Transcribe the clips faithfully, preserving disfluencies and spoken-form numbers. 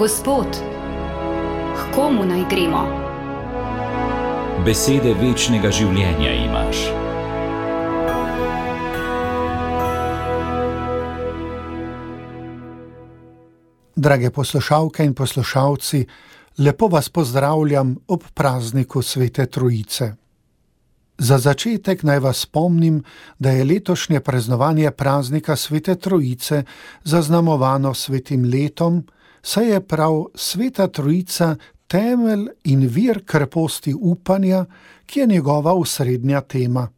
Gospod, k komu naj gremo? Besede večnega življenja imaš. Drage poslušalke in poslušalci, lepo vas pozdravljam ob prazniku Svete Trojice. Za začetek naj vas spomnim, da je letošnje praznovanje praznika Svete Trojice zaznamovano svetim letom, saj je prav Sveta Trojica temelj in vir kreposti upanja, ki je njegova osrednja tema.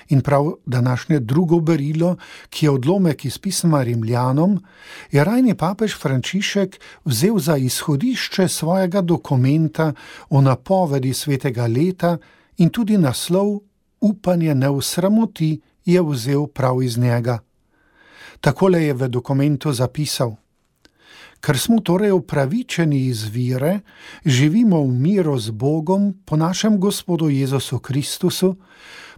In prav današnje drugo berilo, ki je odlomek iz pisma Rimljanom, je rajni papež Frančišek vzel za izhodišče svojega dokumenta o napovedi svetega leta in tudi naslov Upanje ne osramoti je vzel prav iz njega. Takole je v dokumentu zapisal: Ker smo torej upravičeni iz vire, živimo v miru z Bogom po našem Gospodu Jezusu Kristusu,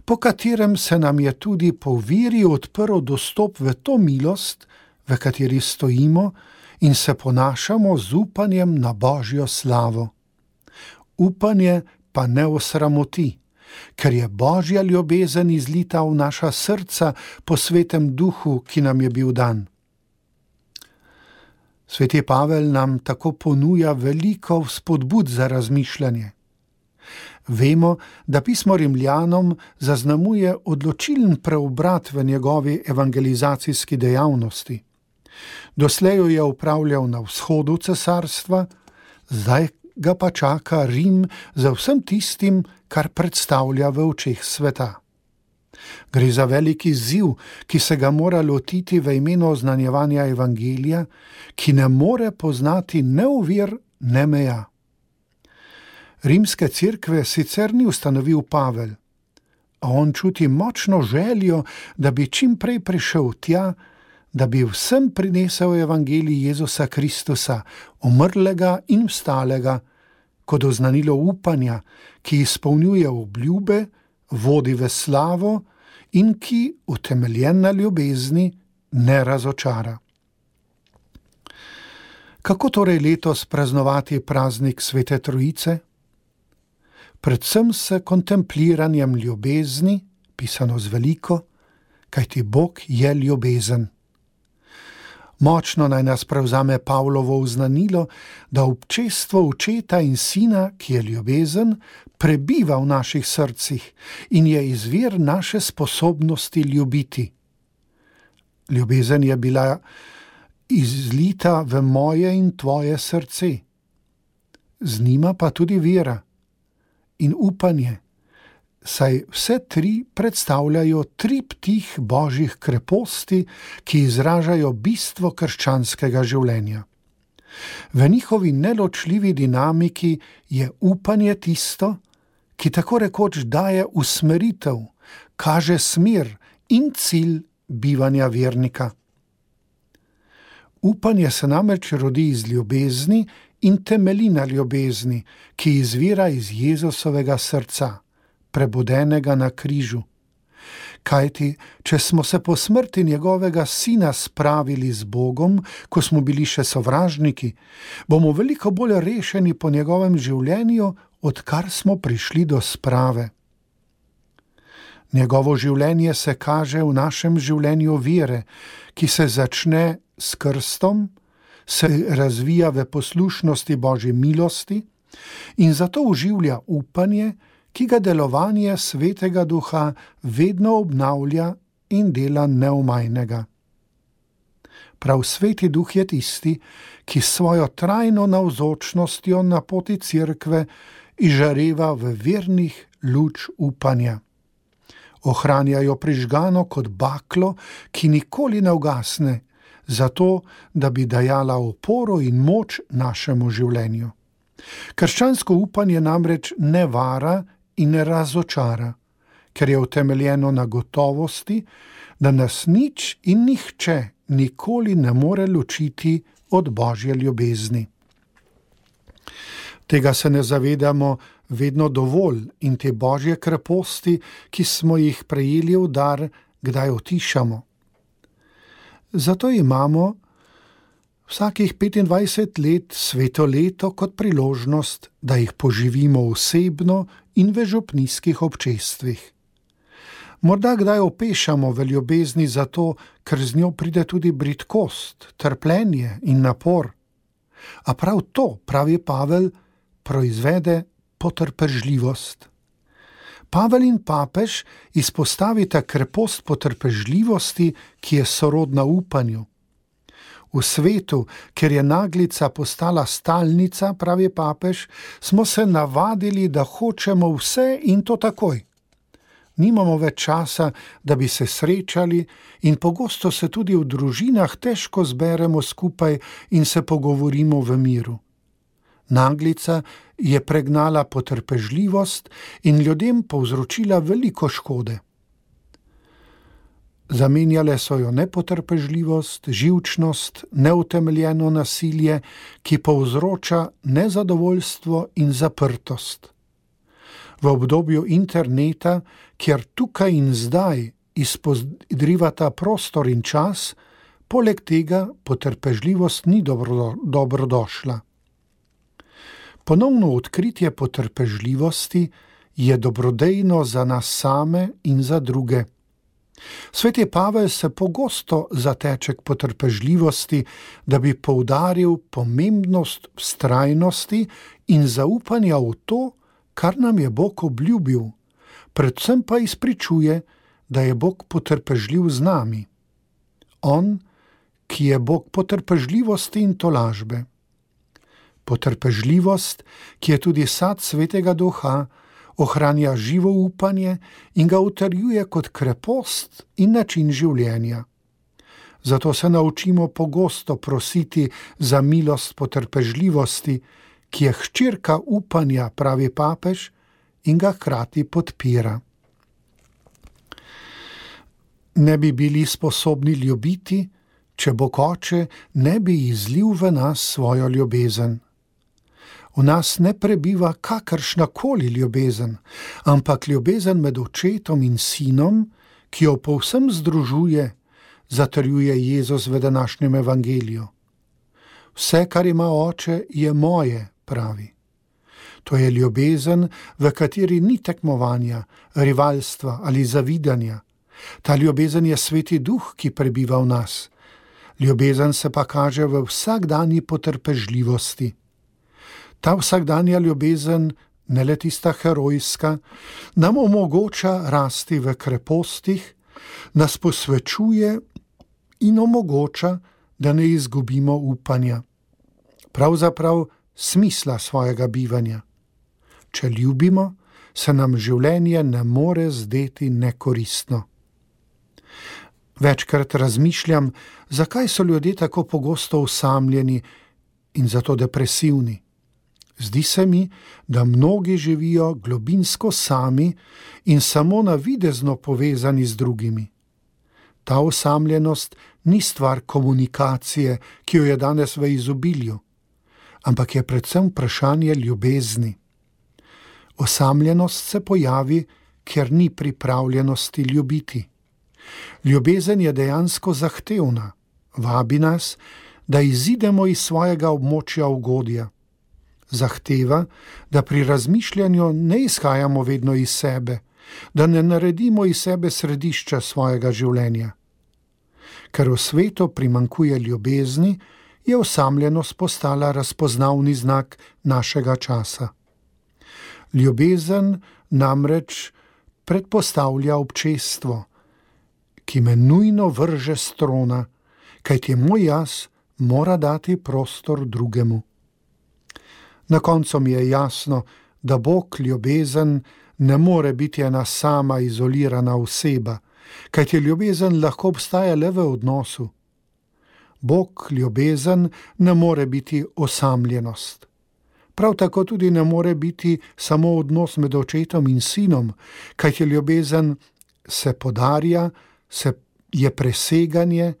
po katerem se nam je tudi po viri odprl dostop v to milost, v kateri stojimo in se ponašamo z upanjem na Božjo slavo. Upanje pa ne osramoti, ker je Božja ljubezen izlita v naša srca po svetem duhu, ki nam je bil dan. Sveti Pavel nam tako ponuja veliko vzpodbud za razmišljanje. Vemo, da pismo Rimljanom zaznamuje odločilen preobrat v njegovi evangelizacijski dejavnosti. Doslej jo je upravljal na vzhodu cesarstva, zdaj ga pa čaka Rim za vsem tistim, kar predstavlja v očeh sveta. Gre za veliki izziv, ki se ga mora lotiti v imenu oznanjevanja evangelija, ki ne more poznati ne ovir, ne meja. Rimske cerkve sicer ni ustanovil Pavel, a on čuti močno željo, da bi čim prej prišel tja, da bi vsem prinesel evangelij Jezusa Kristusa, umrlega in vstalega, kot oznanilo upanja, ki izpolnjuje obljube, vodi v slavo in ki, utemeljen na ljubezni, ne razočara. Kako torej letos praznovati praznik Svete Trojice? Predvsem s kontempliranjem ljubezni, pisano z veliko, kajti Bog je ljubezen. Močno naj nas prevzame Pavlovo uznanilo, da občestvo očeta in sina, ki je ljubezen, prebiva v naših srcih in je izvir naše sposobnosti ljubiti. Ljubezen je bila izlita v moje in tvoje srce. Z njima pa tudi vera in upanje, saj vse tri predstavljajo triptih Božjih kreposti, ki izražajo bistvo krščanskega življenja. V njihovi neločljivi dinamiki je upanje tisto, ki tako rekoč daje usmeritev, kaže smer in cilj bivanja vernika. Upanje se namreč rodi iz ljubezni in temelji na ljubezni, ki izvira iz Jezusovega srca, prebudenega na križu. Kajti, če smo se po smrti njegovega sina spravili z Bogom, ko smo bili še sovražniki, bomo veliko bolj rešeni po njegovem življenju, odkar smo prišli do sprave. Njegovo življenje se kaže v našem življenju vere, ki se začne s krstom, se razvija v poslušnosti Božji milosti in zato oživlja upanje, ki ga delovanje Svetega Duha vedno obnavlja in dela neomajnega. Prav Sveti Duh je tisti, ki s svojo trajno navzočnostjo na poti cerkve izžareva v vernih luč upanja. Ohranja jo prižgano kot baklo, ki nikoli ne ugasne, zato, da bi dajala oporo in moč našemu življenju. Krščansko upanje namreč ne vara in ne razočara, ker je utemeljeno na gotovosti, da nas nič in nihče nikoli ne more ločiti od Božje ljubezni. Tega se ne zavedamo vedno dovolj in te Božje kreposti, ki smo jih prejeli v dar, kdaj utišamo. Zato imamo Vsakih petindvajset let sveto leto kot priložnost, da jih poživimo osebno in v župnijskih občestvih. Morda kdaj opešamo v ljubezni zato, ker z njo pride tudi bridkost, trpljenje in napor. A prav to, pravi Pavel, proizvede potrpežljivost. Pavel in papež izpostavita krepost potrpežljivosti, ki je sorodna upanju. V svetu, ker je naglica postala stalnica, pravi papež, smo se navadili, da hočemo vse in to takoj. Nimamo več časa, da bi se srečali in pogosto se tudi v družinah težko zberemo skupaj in se pogovorimo v miru. Naglica je pregnala potrpežljivost in ljudem povzročila veliko škode. Zamenjale so jo nepotrpežljivost, živčnost, neutemeljeno nasilje, ki povzroča nezadovoljstvo in zaprtost. V obdobju interneta, kjer tukaj in zdaj izpodrivata prostor in čas, poleg tega potrpežljivost ni dobro, dobrodošla. Ponovno odkritje potrpežljivosti je dobrodejno za nas same in za druge. Sveti Pavel se pogosto zateče k potrpežljivosti, da bi poudaril pomembnost vztrajnosti in zaupanja v to, kar nam je Bog obljubil, predvsem pa izpričuje, da je Bog potrpežljiv z nami. On, ki je Bog potrpežljivosti in tolažbe. Potrpežljivost, ki je tudi sad Svetega Duha, ohranja živo upanje in ga utrjuje kot krepost in način življenja. Zato se naučimo pogosto prositi za milost potrpežljivosti, ki je hčerka upanja, pravi papež, in ga hkrati podpira. Ne bi bili sposobni ljubiti, če Bog Oče ne bi izlil v nas svojo ljubezen. V nas ne prebiva kakršnakoli ljubezen, ampak ljubezen med očetom in sinom, ki jo povsem združuje, zatrjuje Jezus v današnjem evangeliju. Vse, kar ima Oče, je moje, pravi. To je ljubezen, v kateri ni tekmovanja, rivalstva ali zavidanja. Ta ljubezen je Sveti Duh, ki prebiva v nas. Ljubezen se pa kaže v vsakdanji potrpežljivosti. Ta vsakdanja ljubezen, ne le tista herojska, nam omogoča rasti v krepostih, nas posvečuje in omogoča, da ne izgubimo upanja. Pravzaprav smisla svojega bivanja. Če ljubimo, se nam življenje ne more zdeti nekoristno. Večkrat razmišljam, zakaj so ljudje tako pogosto osamljeni in zato depresivni. Zdi se mi, da mnogi živijo globinsko sami in samo navidezno povezani z drugimi. Ta osamljenost ni stvar komunikacije, ki jo je danes v izobilju, ampak je predvsem vprašanje ljubezni. Osamljenost se pojavi, ker ni pripravljenosti ljubiti. Ljubezen je dejansko zahtevna, vabi nas, da izidemo iz svojega območja ugodja. Zahteva, da pri razmišljanju ne izhajamo vedno iz sebe, da ne naredimo iz sebe središča svojega življenja. Ker v svetu primanjkuje ljubezni, je osamljenost postala razpoznavni znak našega časa. Ljubezen namreč predpostavlja občestvo, ki me nujno vrže s trona, kajti moj jaz mora dati prostor drugemu. Na koncu mi je jasno, da Bog ljubezen ne more biti ena sama izolirana oseba, kajti ljubezen lahko obstaja le v odnosu. Bog ljubezen ne more biti osamljenost. Prav tako tudi ne more biti samo odnos med očetom in sinom, kajti ljubezen se podarja, se je preseganje,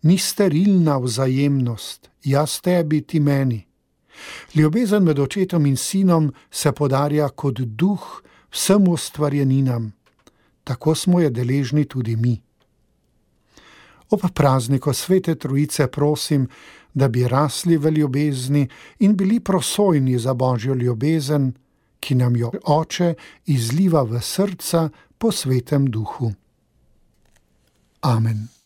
ni sterilna vzajemnost, jaz tebi, ti meni. Ljubezen med očetom in sinom se podarja kot duh vsem ustvarjeninam. Tako smo je deležni tudi mi. Ob prazniku Svete Trojice prosim, da bi rasli v ljubezni in bili prosojni za Božjo ljubezen, ki nam jo Oče izliva v srca po Svetem Duhu. Amen.